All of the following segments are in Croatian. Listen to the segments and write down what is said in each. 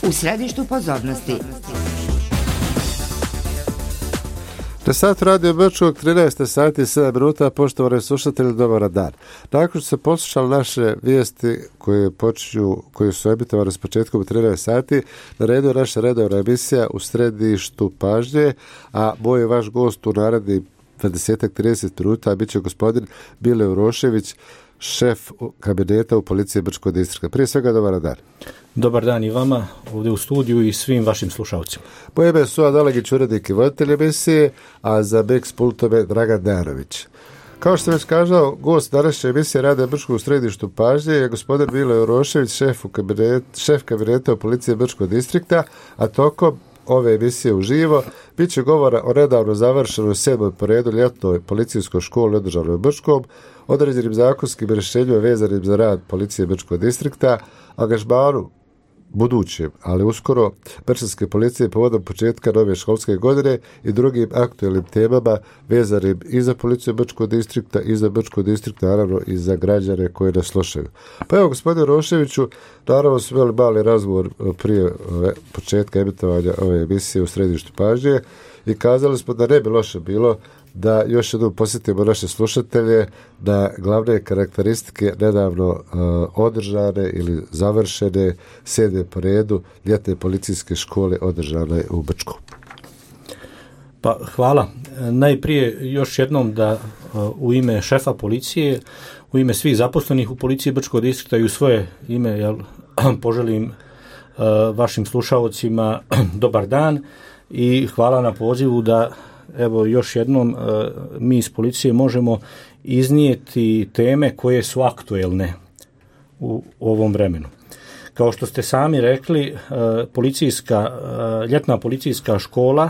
U središtu pozornosti. Na satu Radio Brčkog 13 sati i 7 minuta, poštovani slušatelji, dobar dan. Nakon što se poslušali naše vijesti koje su emitovane s početkom u 13 sati, na redu je naša redovna emisija U središtu pažnje, a moj je vaš gost u narednih 20-30 minuta bit će gospodin Mile Urošević, šef kabineta u policiji Brčkog distrikta. Prije svega, dobar dan. Dobar dan i vama ovdje u studiju i svim vašim slušalcima. Moje ime je Suad Alegić, urednik i voditelj emisije, a za Mix pultom je Dragan Dejanović. Kao što već kazao, gost današnje emisije Rade Brčkog u središtu pažnje je gospodin Mile Urošević, šef kabineta u policiji Brčkog distrikta, a tokom ove emisije uživo bit će govora o nedavno završenoj 7. po redu ljetnoj policijskoj školi održanoj u Brčkom, određenim zakonskim rješenjima vezanim za rad policije Brčkog distrikta, angažmanu budućem, ali uskoro Brčanske policije povodom početka nove školske godine i drugim aktualnim temama vezanim i za policiju Brčkog distrikta i za Brčkog distrikta, naravno i za građane koji nas slušaju. Pa evo, gospodine Roševiću, naravno smo imali mali razgovor prije početka emitovanja ove emisije U središtu pažnje i kazali smo da ne bi loše bilo da još jednom posjetimo naše slušatelje na glavne karakteristike nedavno održane ili završene 7. po redu ljetne policijske škole održane u Brčkom. Pa hvala. Najprije još jednom da u ime šefa policije, u ime svih zaposlenih u policiji Brčkog distrikta i u svoje ime poželim vašim slušalcima dobar dan i hvala na pozivu da evo još jednom mi iz policije možemo iznijeti teme koje su aktuelne u ovom vremenu. Kao što ste sami rekli, ljetna policijska škola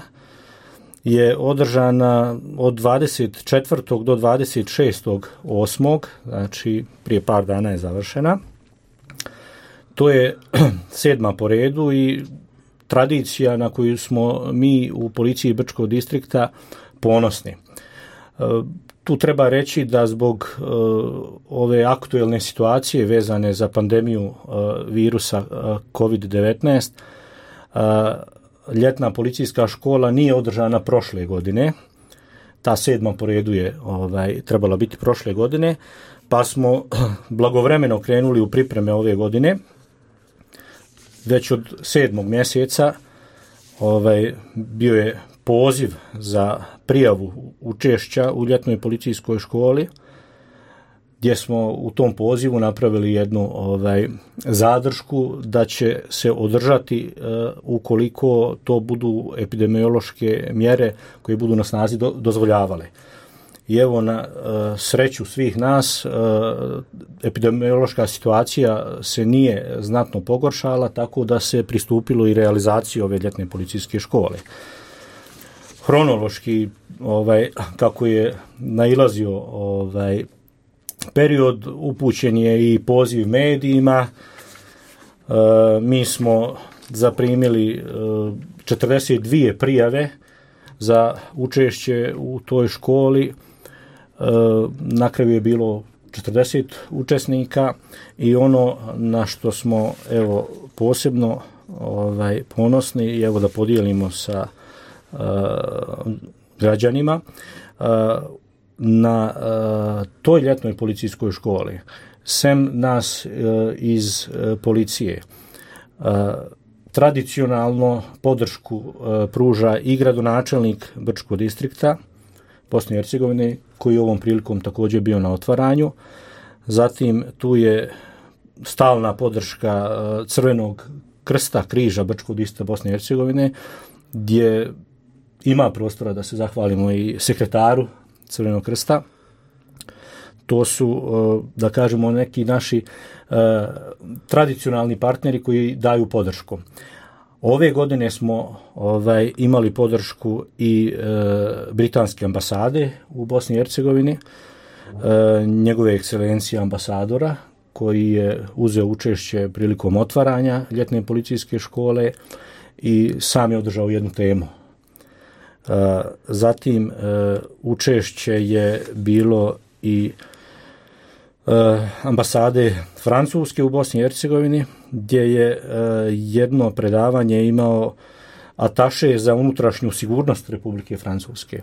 je održana od 24. do 26.8. znači prije par dana je završena. To je 7. po redu i tradicija na koju smo mi u policiji Brčkog distrikta ponosni. Tu treba reći da zbog ove aktuelne situacije vezane za pandemiju virusa COVID-19 ljetna policijska škola nije održana prošle godine. Ta 7. po redu je trebala biti prošle godine, pa smo blagovremeno krenuli u pripreme ove godine. Već od 7. mjeseca bio je poziv za prijavu učešća u ljetnoj policijskoj školi, gdje smo u tom pozivu napravili jednu zadršku da će se održati ukoliko to budu epidemiološke mjere koje budu na snazi dozvoljavale. I evo, na sreću svih nas, epidemiološka situacija se nije znatno pogoršala, tako da se pristupilo i realizaciji ove ljetne policijske škole. Hronološki, kako je nailazio period, upućen je i poziv medijima. Mi smo zaprimili 42 prijave za učešće u toj školi. Na kraju je bilo 40 učesnika i ono na što smo posebno ponosni i da podijelimo sa građanima, na toj ljetnoj policijskoj školi sem nas iz policije tradicionalno podršku pruža i gradonačelnik Brčkog distrikta Bosne i Hercegovine, koji je ovom prilikom također bio na otvaranju. Zatim tu je stalna podrška Crvenog krsta, križa Brčkog distrikta Bosne i Hercegovine, gdje ima prostora da se zahvalimo i sekretaru Crvenog krsta. To su, da kažemo, neki naši tradicionalni partneri koji daju podršku. Ove godine smo imali podršku i britanske ambasade u Bosni i Hercegovini, njegove ekscelencije ambasadora, koji je uzeo učešće prilikom otvaranja ljetne policijske škole i sam je održao jednu temu. Zatim učešće je bilo i ambasade Francuske u Bosni i Hercegovini, gdje je jedno predavanje imao ataše za unutrašnju sigurnost Republike Francuske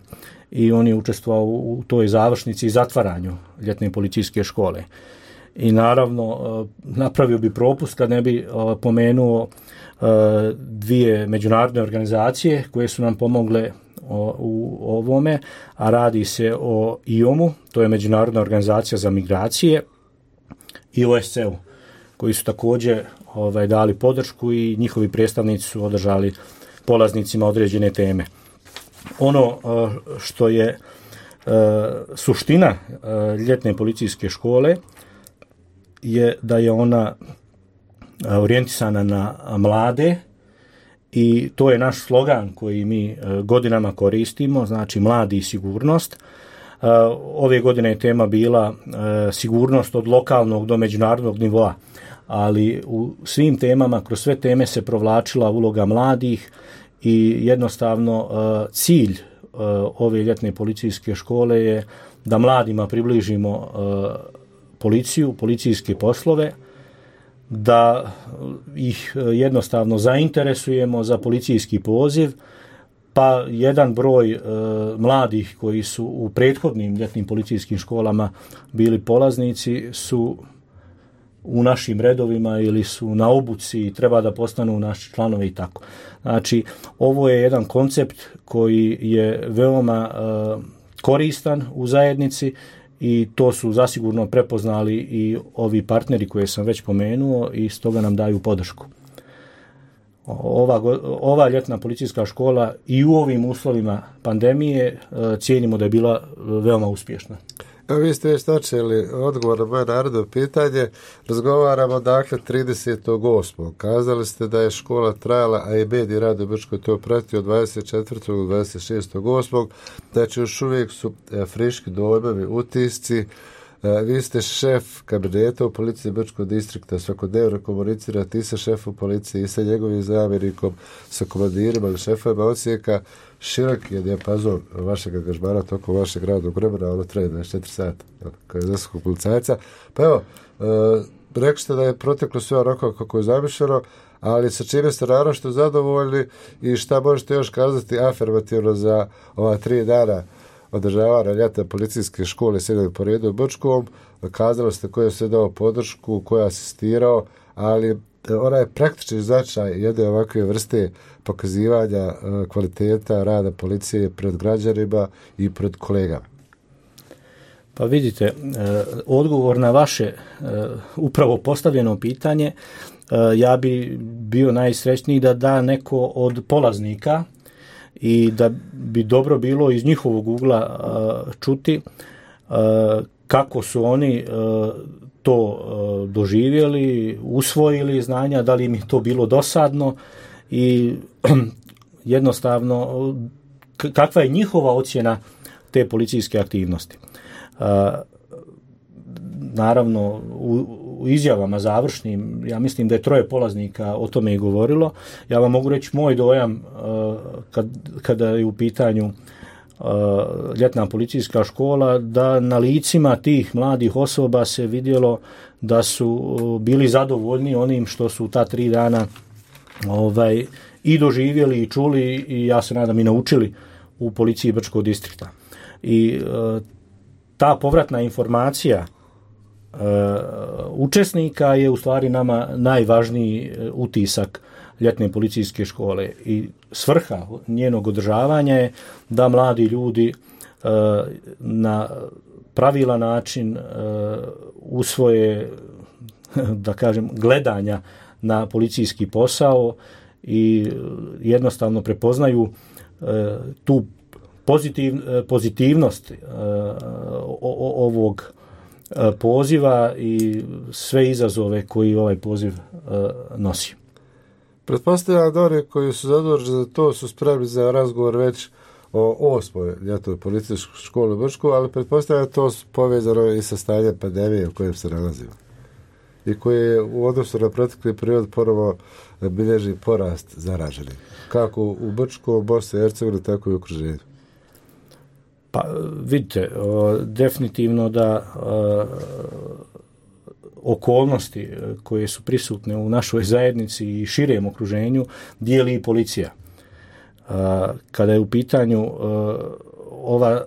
i on je učestvovao u toj završnici i zatvaranju ljetne policijske škole. I naravno napravio bi propust kad ne bi pomenuo dvije međunarodne organizacije koje su nam pomogle u ovome, a radi se o IOM-u, to je Međunarodna organizacija za migracije, i OSCE-u, koji su također dali podršku i njihovi predstavnici su održali polaznicima određene teme. Ono što je suština ljetne policijske škole je da je ona orijentisana na mlade i to je naš slogan koji mi godinama koristimo, znači mladi i sigurnost. Ove godine je tema bila sigurnost od lokalnog do međunarodnog nivoa, ali u svim temama, kroz sve teme se provlačila uloga mladih i jednostavno cilj ove ljetne policijske škole je da mladima približimo policiju, policijske poslove, da ih jednostavno zainteresujemo za policijski poziv, pa jedan broj mladih koji su u prethodnim ljetnim policijskim školama bili polaznici su u našim redovima ili su na obuci i treba da postanu naši članovi i tako. Znači, ovo je jedan koncept koji je veoma koristan u zajednici i to su zasigurno prepoznali i ovi partneri koje sam već pomenuo i stoga nam daju podršku. Ova ljetna policijska škola i u ovim uslovima pandemije cijenimo da je bila veoma uspješna. Vi ste već načeli odgovor na moje narodno pitanje. Razgovaramo dakle 30.8. Kazali ste da je škola trajala, a i medij Rado Brčko to pratio od 24. do 26.8. Znači još uvijek su friški dojmovi, utisci. Vi ste šef kabineta u policiji Brčkog distrikta, svakodnevno komunicirate i sa šefom policije i sa njegovim zamjenikom, sa komandirima ili šefovima odsjeka. Širok je dijapazon vašeg angažmana tokom vašeg radnog vremena, ono traje 24 sata kao je zaskog policajca. Pa evo, rekli ste da je proteklo sve onako kako je zamišljeno, ali sa čime ste naročito zadovoljni i šta možete još kazati afirmativno za ova 3 dana održavanja ljetne policijske škole sjedili po redu u Brčkom? Kazali ste ko je sve dao podršku, ko je asistirao, ali onaj praktični značaj jedne ovakve vrste pokazivanja kvaliteta rada policije pred građanima i pred kolegama. Pa vidite, odgovor na vaše upravo postavljeno pitanje, ja bi bio najsrećniji da neko od polaznika i da bi dobro bilo iz njihovog ugla čuti kako su oni to doživjeli, usvojili znanja, da li im je to bilo dosadno i jednostavno kakva je njihova ocjena te policijske aktivnosti. Naravno, u izjavama završnim, ja mislim da je 3 polaznika o tome i govorilo. Ja vam mogu reći moj dojam kada je u pitanju ljetna policijska škola, da na licima tih mladih osoba se vidjelo da su bili zadovoljni onim što su ta 3 dana i doživjeli i čuli i ja se nadam i naučili u policiji Brčkog distrikta. I ta povratna informacija učesnika je u stvari nama najvažniji utisak ljetne policijske škole i svrha njenog održavanja je da mladi ljudi na pravilan način usvoje, da kažem, gledanja na policijski posao i jednostavno prepoznaju tu pozitivnost ovog poziva i sve izazove koji ovaj poziv nosi. Pretpostavljam da oni koji su zaduženi za to su spremni za razgovor već o 8. ljetnoj policijskoj školi u Brčku, ali pretpostavljam da to povezano i sa stanjem pandemije u kojem se nalazimo i koji je u odnosu na protekli period ponovo bilježi porast zaraženih, kako u Brčku, Bosni i Hercegovini, tako i u okruženju. Pa vidite, definitivno da okolnosti koje su prisutne u našoj zajednici i širem okruženju dijeli i policija. Kada je u pitanju ova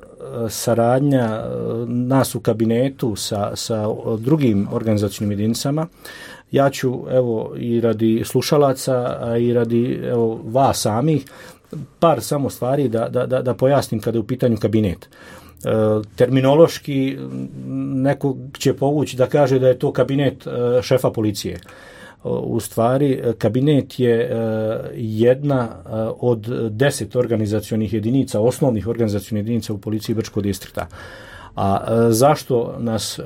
saradnja nas u kabinetu sa drugim organizacijnim jedinicama, ja ću evo i radi slušalaca, a i radi evo vas samih par samo stvari da pojasnim kada je u pitanju kabinet. Terminološki neko će povući da kaže da je to kabinet šefa policije. U stvari, kabinet je jedna od 10 organizacionih jedinica, osnovnih organizacionih jedinica u policiji Brčkog distrikta. A zašto nas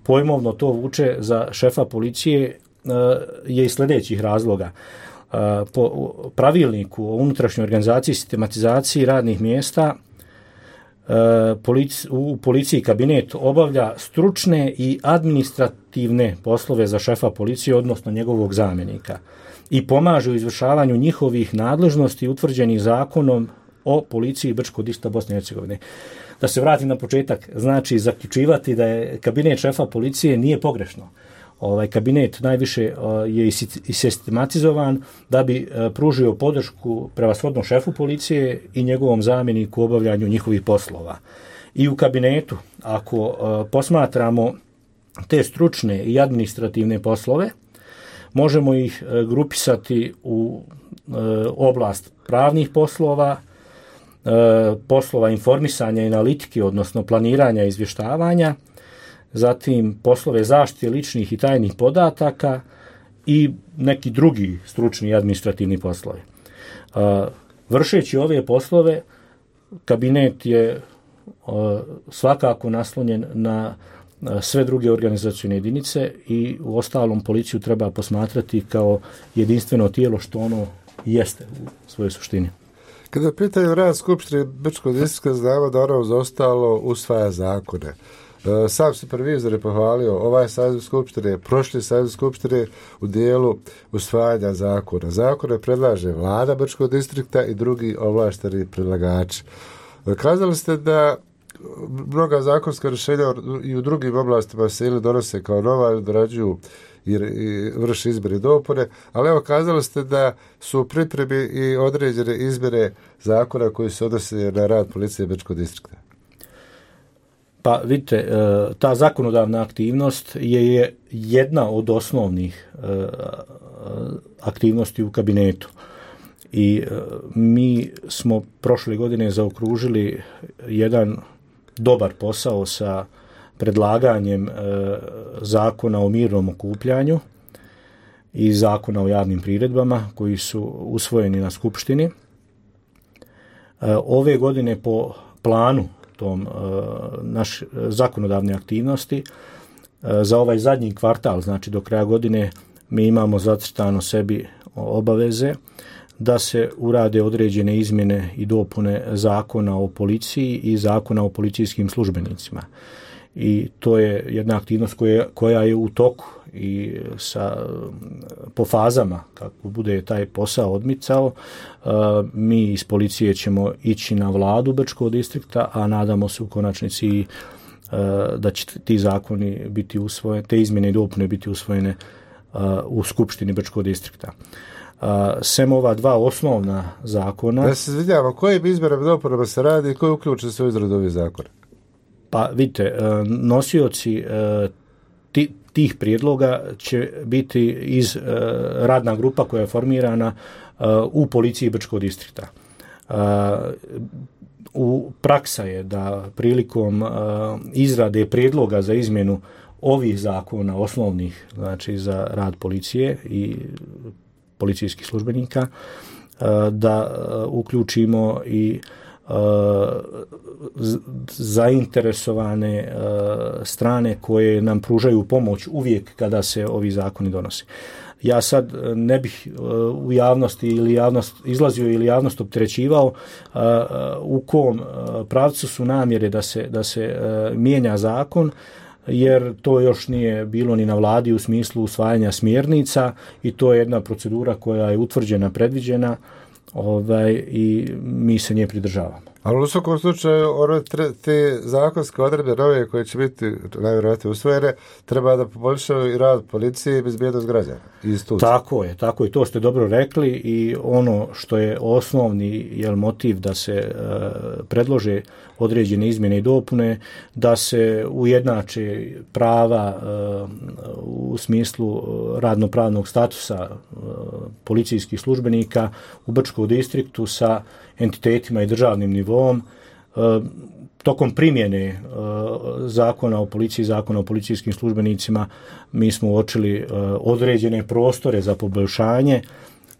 pojmovno to vuče za šefa policije je iz sljedećih razloga. Po pravilniku o unutrašnjoj organizaciji i sistematizaciji radnih mjesta u policiji kabinet obavlja stručne i administrativne poslove za šefa policije, odnosno njegovog zamjenika, i pomaže u izvršavanju njihovih nadležnosti utvrđenih zakonom o policiji Brčkog distrikta Bosne i Hercegovine. Da se vratim na početak, znači zaključivati da je kabinet šefa policije nije pogrešno. Kabinet najviše je i sistematizovan da bi pružio podršku prevashodno šefu policije i njegovom zamjeniku u obavljanju njihovih poslova. I u kabinetu, ako posmatramo te stručne i administrativne poslove, možemo ih grupisati u oblast pravnih poslova, poslova informisanja i analitike, odnosno planiranja i izvještavanja, zatim poslove zaštite ličnih i tajnih podataka i neki drugi stručni i administrativni poslovi. Vršeći ove poslove, kabinet je svakako naslonjen na sve druge organizacijne jedinice i u ostalom policiju treba posmatrati kao jedinstveno tijelo što ono jeste u svojoj suštini. Kada je pitanje rad Skupštine Brčkog distrikta, znamo da ono za ostalo usvaja zakone. Sam supervizor je pohvalio ovaj saziv Skupštine, prošli saziv Skupštine u dijelu usvajanja zakona. Zakone predlaže vlada Brčkog distrikta i drugi ovlašteni predlagači. Kazali ste da mnoga zakonska rješenja i u drugim oblastima se ili donose kao nova ili dorađuju i vrši izmjene i dopune, ali evo kazali ste da su u pripremi i određene izmjene zakona koji se odnose na rad policije Brčkog distrikta. Pa vidite, ta zakonodavna aktivnost je jedna od osnovnih aktivnosti u kabinetu. I mi smo prošle godine zaokružili jedan dobar posao sa predlaganjem zakona o mirnom okupljanju i zakona o javnim priredbama koji su usvojeni na Skupštini. Ove godine po planu tom naš zakonodavne aktivnosti za ovaj zadnji kvartal, znači do kraja godine, mi imamo zacrtano sebi obaveze da se urade određene izmjene i dopune zakona o policiji i zakona o policijskim službenicima. I to je jedna aktivnost koja je u toku i po fazama, kako bude taj posao odmicao, mi iz policije ćemo ići na vladu Brčkog distrikta, a nadamo se u konačnici da će ti zakoni biti usvojeni, te izmjene i dopune biti usvojene u Skupštini Brčkog distrikta. Sem ova dva osnovna zakona... Ja se izvinjavam, kojim izmjenama i dopunama se radi i koji uključuju se u izradu ovih zakona? Pa vidite, nosioci tih prijedloga će biti iz radna grupa koja je formirana u policiji Brčkog distrikta. Praksa je da prilikom izrade prijedloga za izmjenu ovih zakona osnovnih, znači za rad policije i policijskih službenika, da uključimo i zainteresovane strane koje nam pružaju pomoć uvijek kada se ovi zakoni donose. Ja sad ne bih u javnosti izlazio ili javnost opterećivao u kom pravcu su namjere da se mijenja zakon, jer to još nije bilo ni na vladi u smislu usvajanja smjernica i to je jedna procedura koja je utvrđena, predviđena i mi se nje pridržavamo. Ali u svakom slučaju, te zakonske odredbe nove koje će biti najvjerojatnije usvojene, treba da poboljšaju i rad policije i bezbjednost građana. Tako je, to ste dobro rekli i ono što je osnovni motiv da se predlože određene izmjene i dopune, da se ujednače prava u smislu radnopravnog statusa policijskih službenika u Brčkom distriktu sa entitetima i državnim nivom. Tokom primjene zakona o policiji, zakona o policijskim službenicima, mi smo uočili određene prostore za poboljšanje.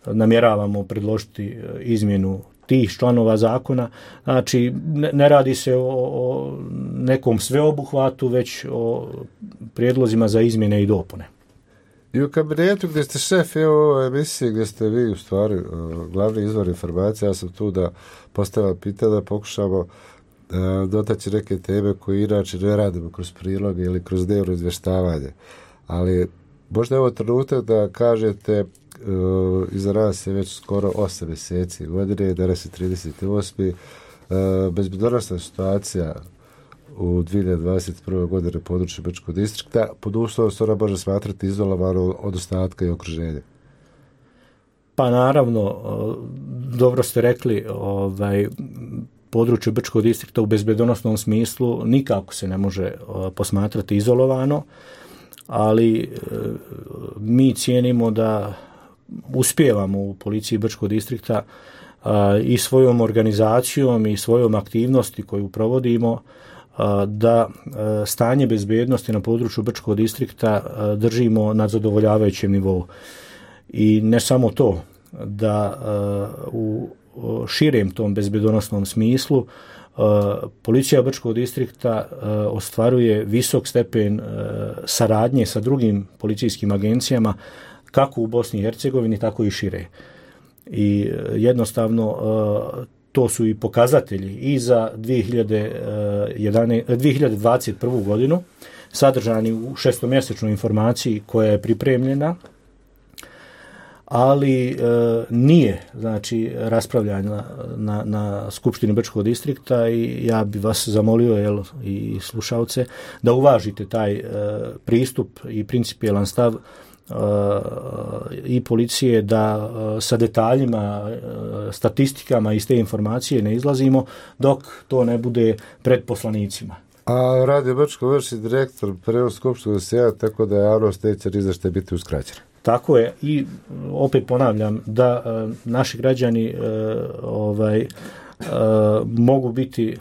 Namjeravamo predložiti izmjenu tih članova zakona. Znači, ne radi se o nekom sveobuhvatu, već o prijedlozima za izmjene i dopune. I u kabinetu gdje ste šef ovoj emisiji, gdje ste vi u stvari glavni izvor informacija, ja sam tu da postavljam pitanje, da pokušamo dotaći neke teme koje inače ne radimo kroz priloge ili kroz dnevno izvještavanje. Ali možda je ovo trenutak da kažete, iza nas je već skoro 8 mjeseci godine, danas je 38. Bezbjednosna situacija u 2021. godine na području Brčkog distrikta, pod uslovom se ona može smatrati izolovano od ostatka i okruženja. Pa naravno, dobro ste rekli, područje Brčkog distrikta u bezbjednosnom smislu nikako se ne može posmatrati izolovano, ali mi cijenimo da uspijevamo u policiji Brčkog distrikta i svojom organizacijom i svojom aktivnosti koju provodimo da stanje bezbjednosti na području Brčkog distrikta držimo na zadovoljavajućem nivou. I ne samo to, da u širem tom bezbjednosnom smislu policija Brčkog distrikta ostvaruje visok stepen saradnje sa drugim policijskim agencijama kako u Bosni i Hercegovini, tako i šire. I jednostavno to su i pokazatelji i za 2021. godinu sadržani u šestomjesečnoj informaciji koja je pripremljena, ali nije raspravljana na Skupštini Brčkog distrikta i ja bi vas zamolio i slušalce da uvažite taj pristup i principijelan stav i policije, da sa detaljima, statistikama iz te informacije ne izlazimo dok to ne bude pred poslanicima. A Radio Brčko vrši direktor prvog skupštnog sjeda, tako da javnost neće ni za što biti uskraćena. Tako je, i opet ponavljam da naši građani mogu biti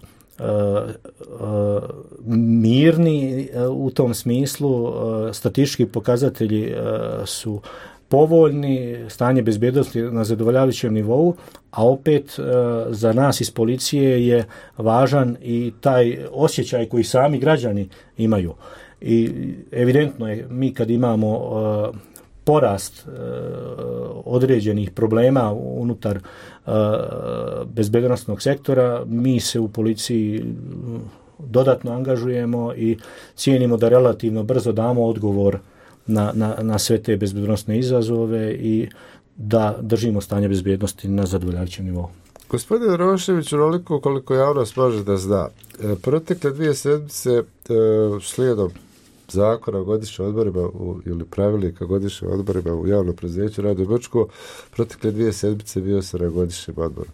mirni u tom smislu. Statistički pokazatelji su povoljni, stanje bezbjednosti na zadovoljavajućem nivou, a opet za nas iz policije je važan i taj osjećaj koji sami građani imaju. I evidentno je, mi kad imamo porast određenih problema unutar bezbjednosnog sektora, mi se u policiji dodatno angažujemo i cijenimo da relativno brzo damo odgovor na sve te bezbjednosne izazove i da držimo stanje bezbjednosti na zadovoljavajućem nivou. Gospodin Rošević, onoliko koliko javnost može da zna, protekle 2 sedmice slijedom zakona o godišnjim odborima ili pravilnika godišnjim odborima u javnom preduzeću Radio Brčko, protekle 2 sedmice bio sam na godišnjem odboru.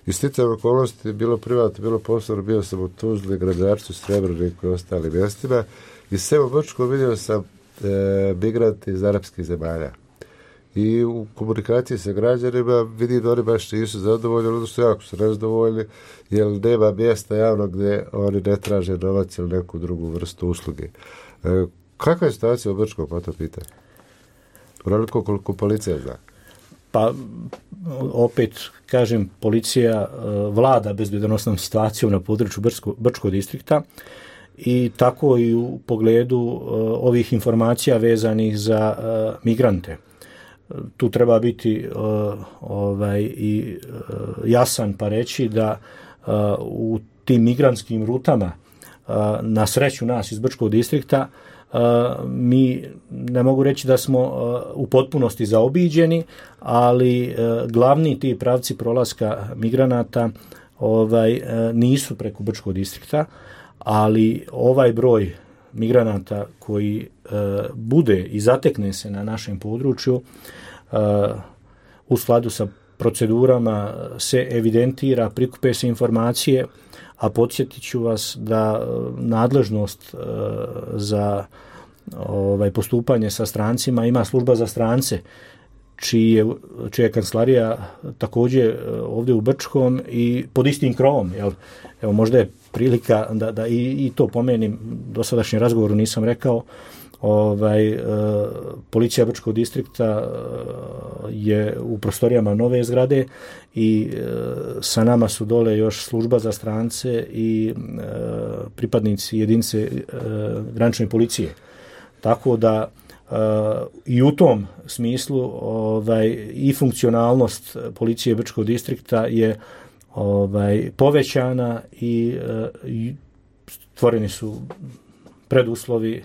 I sticajem okolnosti, bilo privatno, bilo poslovno, bio sam u Tuzli, Gradarcu, Srebreniku i ostalim mjestima i sve u Brčko vidio sam migranti iz arapskih zemalja. I u komunikaciji sa građanima vidim da oni baš nisu zadovoljni, odnosno jako su nezadovoljni, jer nema mjesta javno gdje oni ne traže novac ili neku drugu vrstu usluge. Kakva je situacija u Brčkom po to pitanje? Onoliko koliko policija zna? Pa, opet kažem, policija vlada bezbjednosnom situacijom na području Brčkog distrikta i tako i u pogledu ovih informacija vezanih za migrante. Tu treba biti i jasan pa reći da u tim migrantskim rutama, na sreću nas iz Brčkog distrikta, mi ne mogu reći da smo u potpunosti zaobiđeni, ali glavni ti pravci prolaska migranata nisu preko Brčkog distrikta, ali ovaj broj migranata koji bude i zatekne se na našem području u skladu sa procedurama se evidentira, prikupe se informacije, a podsjetit ću vas da nadležnost za postupanje sa strancima ima služba za strance, čija je kancelarija također ovdje u Brčkom i pod istim krovom. Jel? Evo, možda je prilika da i to pomenim, dosadašnjem razgovoru nisam rekao, policija Brčkog distrikta je u prostorijama nove zgrade i sa nama su dole još služba za strance i pripadnici jedinice granične policije. Tako da i u tom smislu i funkcionalnost policije Brčkog distrikta je povećana i stvoreni su preduslovi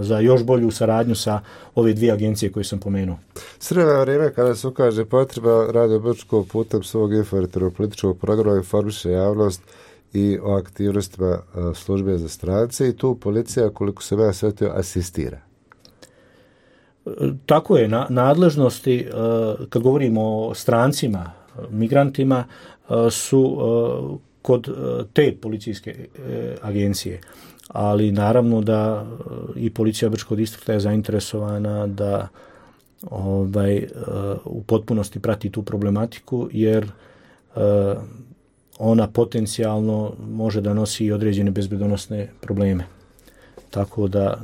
za još bolju saradnju sa ove dvije agencije koje sam pomenuo. Sredno vrijeme kada se ukaže potreba, Radio Brčko putem svog informativnog političkog programa informiše javnost i o aktivnostima službe za strance i tu policija, koliko se ja shvatio, asistira. Tako je, nadležnosti, kad govorimo o strancima, migrantima, su kod te policijske agencije. Ali naravno da i policija Brčkog distrikta je zainteresovana da u potpunosti prati tu problematiku, jer ona potencijalno može da nosi i određene bezbednosne probleme. Tako da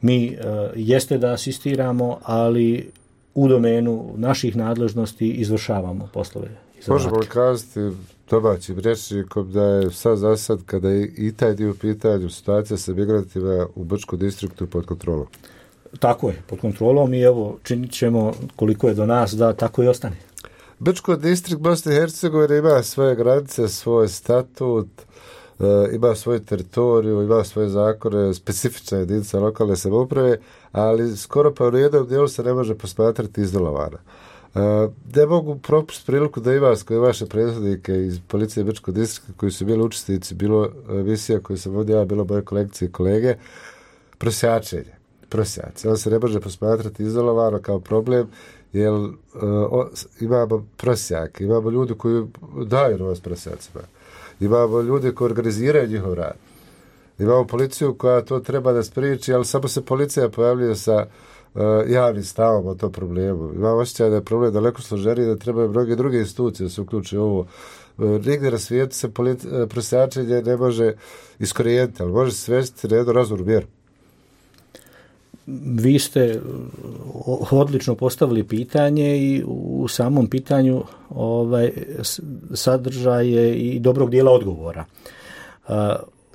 mi jeste da asistiramo, ali u domenu naših nadležnosti izvršavamo poslove. Možemo li kazati domaćim rečnikom da je sad za sad, kada je i taj dio pitanju, situacija sa migrantima u Brčkom distriktu pod kontrolom? Tako je, pod kontrolom i evo činit ćemo koliko je do nas da tako i ostane. Brčko distrikt Bosne i Hercegovine ima svoje granice, svoj statut, ima svoju teritoriju, ima svoje zakone, specifična jedinica lokalne samouprave, ali skoro pa u jednom dijelu se ne može posmatrati izolovana. Ne mogu propustiti priliku da i vas, koji vaše prethodnike iz policije Brčkog distrikta, koji su bili učesnici, bilo emisija koju sam vodio, bilo moje kolekcije i kolege, prosjačenje. On se ne može posmatrati izolovano kao problem, jer imamo prosjake, imamo ljudi koji daju novac prosjacima, imamo ljudi koji organiziraju njihov rad, imamo policiju koja to treba da spriječi, ali samo se policija pojavljuje sa javnim stavom o tom problemu. Imam osjećaj da je problem daleko složeniji, da trebaju mnoge druge institucije da se uključe u ovo. Nigdje na svijetu se prosjačenje ne može iskorijeniti, ali može se svesti na jednu razumnu mjeru. Vi ste odlično postavili pitanje i u samom pitanju sadržaj je i dobrog dijela odgovora.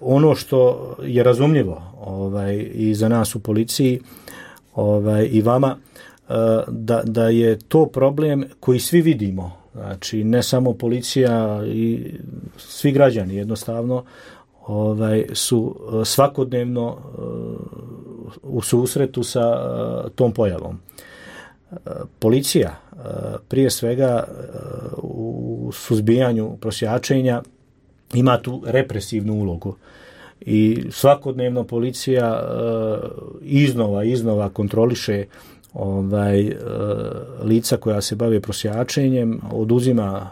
Ono što je razumljivo i za nas u policiji i vama, da je to problem koji svi vidimo, znači ne samo policija i svi građani jednostavno su svakodnevno u susretu sa tom pojavom. Policija prije svega u suzbijanju prosjačenja ima tu represivnu ulogu i svakodnevno policija iznova kontroliše lica koja se bave prosjačenjem, oduzima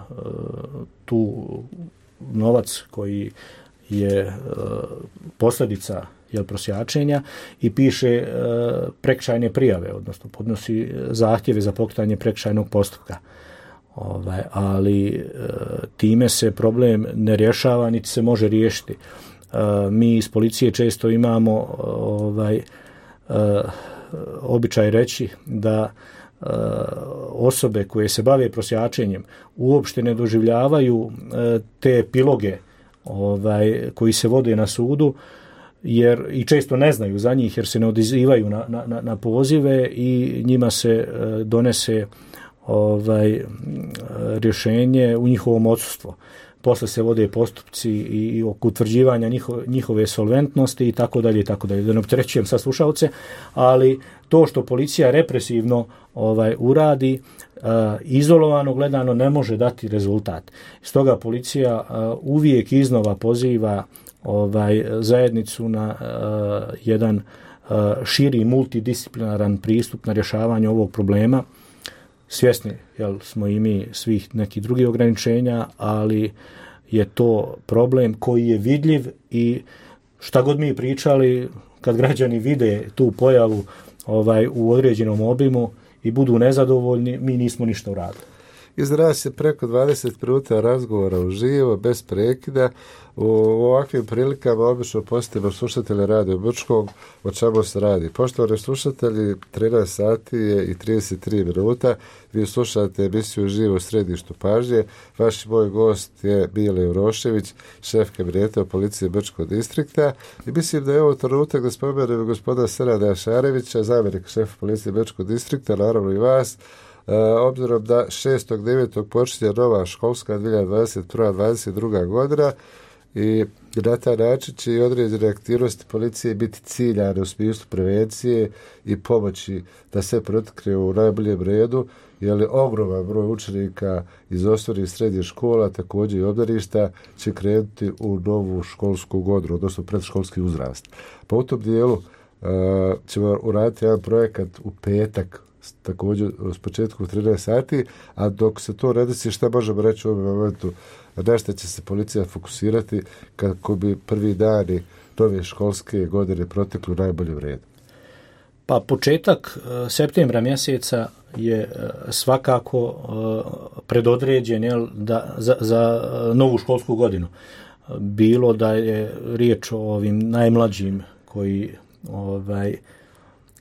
tu novac koji je posljedica prosjačenja i piše prekršajne prijave, odnosno podnosi zahtjeve za pokretanje prekršajnog postupka. Ali time se problem ne rješava niti se može riješiti. Mi iz policije često imamo običaj reći da osobe koje se bave prosjačenjem uopšte ne doživljavaju te epiloge koji se vode na sudu, jer i često ne znaju za njih jer se ne odazivaju na pozive i njima se donese rješenje u njihovom odsustvu. posle se vode postupci i oko utvrđivanja njihove solventnosti i tako dalje, da ne opterećujem sa slušalce, ali to što policija represivno uradi, izolovano gledano ne može dati rezultat. Stoga policija uvijek iznova poziva zajednicu na jedan širi multidisciplinaran pristup na rješavanje ovog problema. Svjesni smo i mi svih nekih drugih ograničenja, ali je to problem koji je vidljiv i šta god mi pričali, kad građani vide tu pojavu u određenom obimu i budu nezadovoljni, mi nismo ništa uradili. Izrazi se preko 20 minuta razgovora uživo, bez prekida. U ovakvim prilikama obično posjetimo slušatelje Radio Brčkog, o čemu se radi. Poštovani slušatelji, 13 sati je i 33 minuta. Vi slušate emisiju Uživo u središtu pažnje. Vaš moj gost je Mile Urošević, šef kabineta policije Brčkog distrikta. I mislim da je ovo trenutak da spomenem gospodina Senada Šarevića, zamjenik šefa policije Brčkog distrikta, naravno i vas. Obzirom da 6.9. počinje nova školska 2021-2022 godina i na taj način će i određene aktivnosti policije biti ciljane u smislu prevencije i pomoći da se protekne u najboljem redu, jer ogroman broj učenika iz osnovnih i srednjih škola, također i obdaništa, će krenuti u novu školsku godinu, odnosno predškolski uzrast. Pa u tom dijelu ćemo uraditi jedan projekat u petak, također s početkom 13 sati, a dok se to ne desi, šta možemo reći u ovom momentu, na šta će se policija fokusirati kako bi prvi dani nove školske godine protekli u najboljem redu? Pa početak septembra mjeseca je svakako predodređen za novu školsku godinu. Bilo da je riječ o ovim najmlađim koji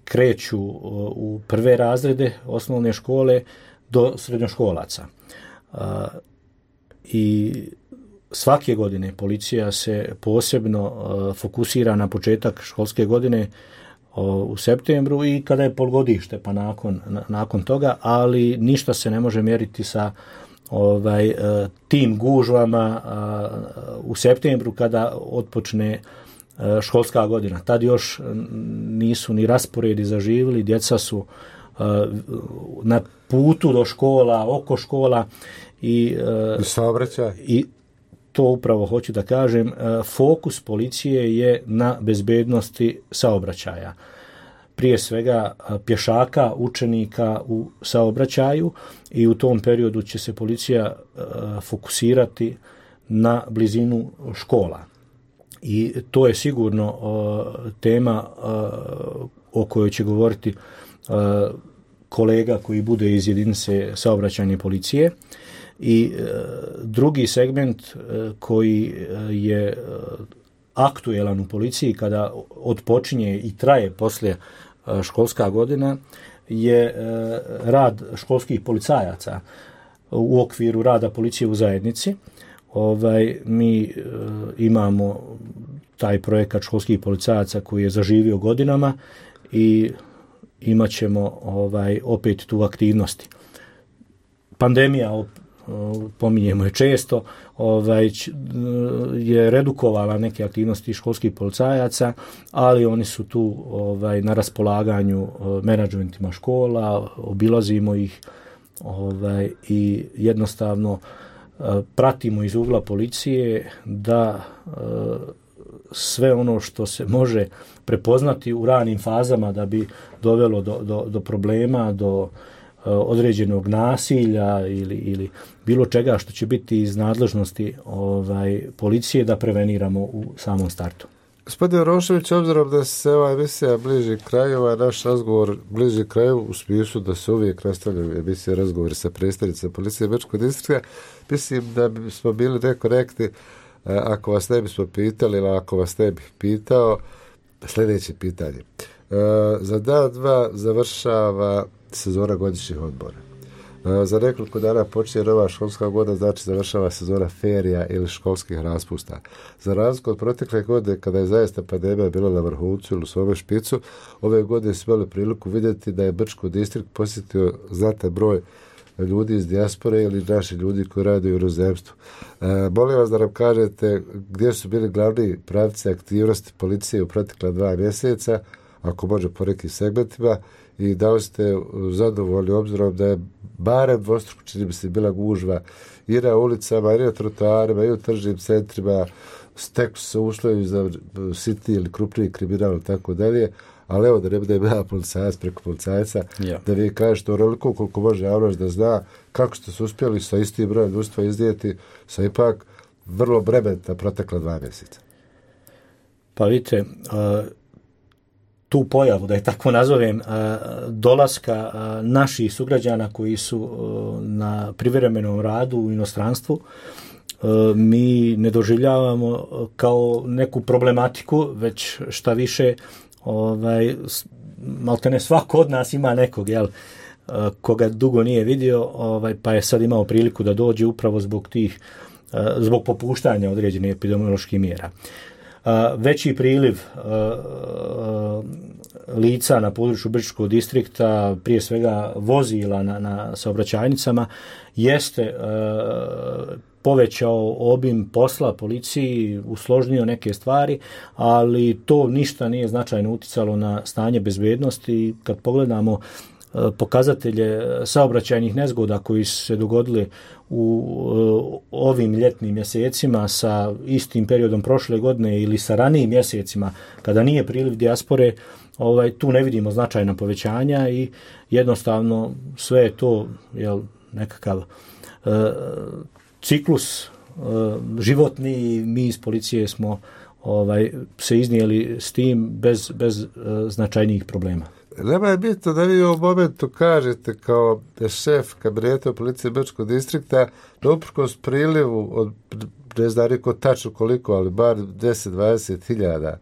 kreću u prve razrede osnovne škole do srednjoškolaca. I svake godine policija se posebno fokusira na početak školske godine u septembru i kada je polgodište pa nakon toga, ali ništa se ne može mjeriti sa tim gužvama u septembru kada otpočne školska godina. Tad još nisu ni rasporedi zaživjeli, djeca su na putu do škola, oko škola i saobraćaj. I to upravo hoću da kažem, fokus policije je na bezbednosti saobraćaja. Prije svega pješaka, učenika u saobraćaju i u tom periodu će se policija fokusirati na blizinu škola. I to je sigurno tema o kojoj će govoriti kolega koji bude iz jedinice saobraćajne policije. I drugi segment koji je aktuelan u policiji kada odpočinje i traje poslije školska godina je rad školskih policajaca u okviru rada policije u zajednici. Mi imamo taj projekat školskih policajaca koji je zaživio godinama i imat ćemo opet tu aktivnosti. Pandemija, pominjemo je često, je redukovala neke aktivnosti školskih policajaca, ali oni su tu na raspolaganju menadžmentima škola, obilazimo ih i jednostavno pratimo iz ugla policije da sve ono što se može prepoznati u ranim fazama da bi dovelo do problema, do određenog nasilja ili bilo čega što će biti iz nadležnosti policije da preveniramo u samom startu. Gospodin Urošević, obzirom da se ova emisija bliži kraju, naš razgovor bliži kraju u smislu da se uvijek nastavljaju emisije razgovori sa predstavnicima policije Brčkog distrikta, mislim da bismo bili nekorektni ako vas ne bismo pitali ili ako vas ne bih pitao sljedeće pitanje. Za dan, dva završava sezona godišnjih odmora. Za nekoliko dana počinje nova školska godina, znači završava sezona ferija ili školskih raspusta. Za razliku od protekle godine, kada je zaista pandemija bila na vrhuncu ili u svome špicu, ove godine smo imali priliku vidjeti da je Brčko distrikt posjetio znatan broj ljudi iz dijaspore ili naši ljudi koji rade u inozemstvu. Molim vas da nam kažete gdje su bili glavni pravci aktivnosti policije u protekla 2 mjeseca, ako može po nekim segmentima, i da li ste zadovoljni obzirom da je barem dvostruko, čini mi se, bila gužva i na ulicama, i na trotoarima, i u tržnim centrima, stekli su se uslovi za sitni ili krupniji kriminal i tako dalje, ali evo da ne budem ja policajac preko policajca, da vi kažete onoliko koliko može javnost da zna kako ste se uspjeli sa istim brojem ljudstva iznijeti sa ipak vrlo bremenita protekla 2 mjeseca. Pa vidite, tu pojavu, da je tako nazovem, dolaska naših sugrađana koji su na privremenom radu u inostranstvu, mi ne doživljavamo kao neku problematiku, već šta više, maltene svako od nas ima nekog, koga dugo nije vidio, pa je sad imao priliku da dođe upravo zbog popuštanja određenih epidemioloških mjera. Veći priliv lica na području Brčkog distrikta, prije svega vozila na saobraćajnicama, jeste povećao obim posla policiji, usložnio neke stvari, ali to ništa nije značajno uticalo na stanje bezbednosti. Kad pogledamo pokazatelje saobraćajnih nezgoda koji su se dogodili u ovim ljetnim mjesecima sa istim periodom prošle godine ili sa ranijim mjesecima kada nije priliv dijaspore, tu ne vidimo značajna povećanja i jednostavno sve je to nekakav ciklus životni i mi iz policije smo se iznijeli s tim bez značajnijih problema. Nema je bitno da vi u ovom momentu kažete kao šef kabineta policije Brčkog distrikta da uprkos prilivu od, ne znam niko tačno koliko, ali bar 10-20 hiljada,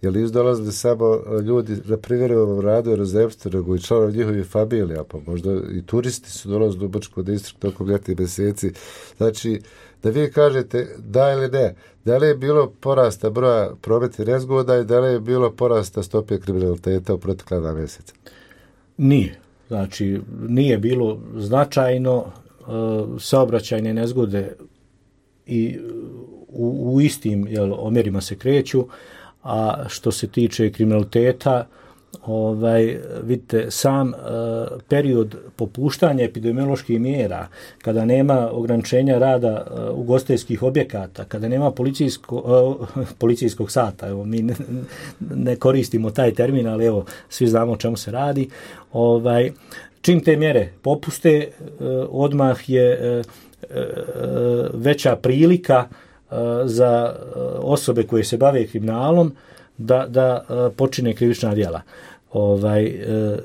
jer nisu dolazili samo ljudi na privremenom radu i inozemstvu, nego i članovi njihovih familija, pa možda i turisti su dolazili u Brčkog distrikt tokom ljetnih mjeseci. Znači, da vi kažete da ili ne, da li je bilo porasta broja prometnih nezgoda i da li je bilo porasta stope kriminaliteta u protekla 2 mjeseca? Nije. Znači, nije bilo značajno, saobraćajne nezgode i u istim omjerima se kreću, a što se tiče kriminaliteta, vidite, sam period popuštanja epidemioloških mjera, kada nema ograničenja rada ugostiteljskih objekata, kada nema policijskog sata, evo, mi ne koristimo taj termin, ali evo, svi znamo o čemu se radi, čim te mjere popuste, odmah je veća prilika za osobe koje se bave kriminalom da počine krivična djela.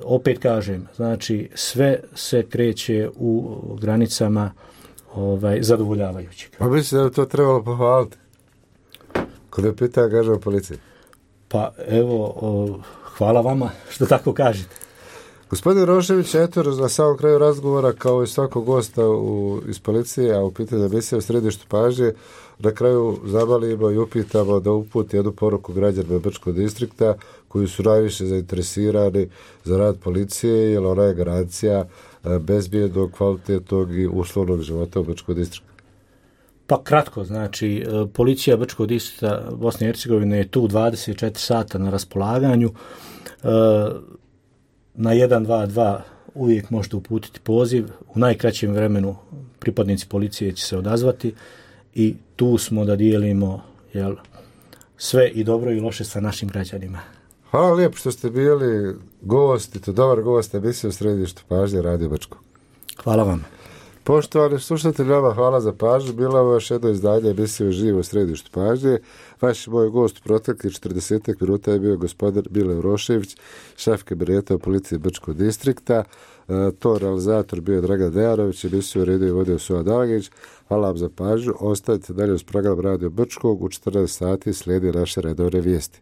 Opet kažem, znači sve se kreće u granicama zadovoljavajućeg. Pa mislim da bi to trebalo pohvaliti. Kod je pitanje angažman policije. Pa evo, hvala vama što tako kažete. Gospodin Rošević, eto, na samom kraju razgovora, kao i svakog gosta iz policije, a u pitanju emisije u središtu pažnje, na kraju zabalimo i upitamo da uputi jednu poruku građanima Brčkog distrikta koji su najviše zainteresirani za rad policije, jer ona je garancija bezbjednog, kvalitetnog i uslovnog života u Brčkog distriktu. Pa kratko, znači, policija Brčkog distrikta Bosne i Hercegovine je tu 24 sata na raspolaganju. Na 122 uvijek možete uputiti poziv. U najkraćem vremenu pripadnici policije će se odazvati i tu smo da dijelimo sve i dobro i loše sa našim građanima. Hvala lijepo što ste bili gost, i to dobar gost emisije u središtu pažnje Radio Brčko. Hvala vam. Poštovani slušatelji, vama hvala za pažnju. Bilo je još jedno izdanje emisije Živo u središtu pažnje. Vaš moj gost u proteklih 40 minuta je bio gospodin Bile Urošević, šef kabineta policije Brčkog distrikta. To realizator bio Dragan Dejarović, emisiju uredio i vodio Suad Dalagić. Hvala vam za pažnju. Ostavite dalje uz program Radio Brčkog. U 14 sati slijedi naše redovne vijesti.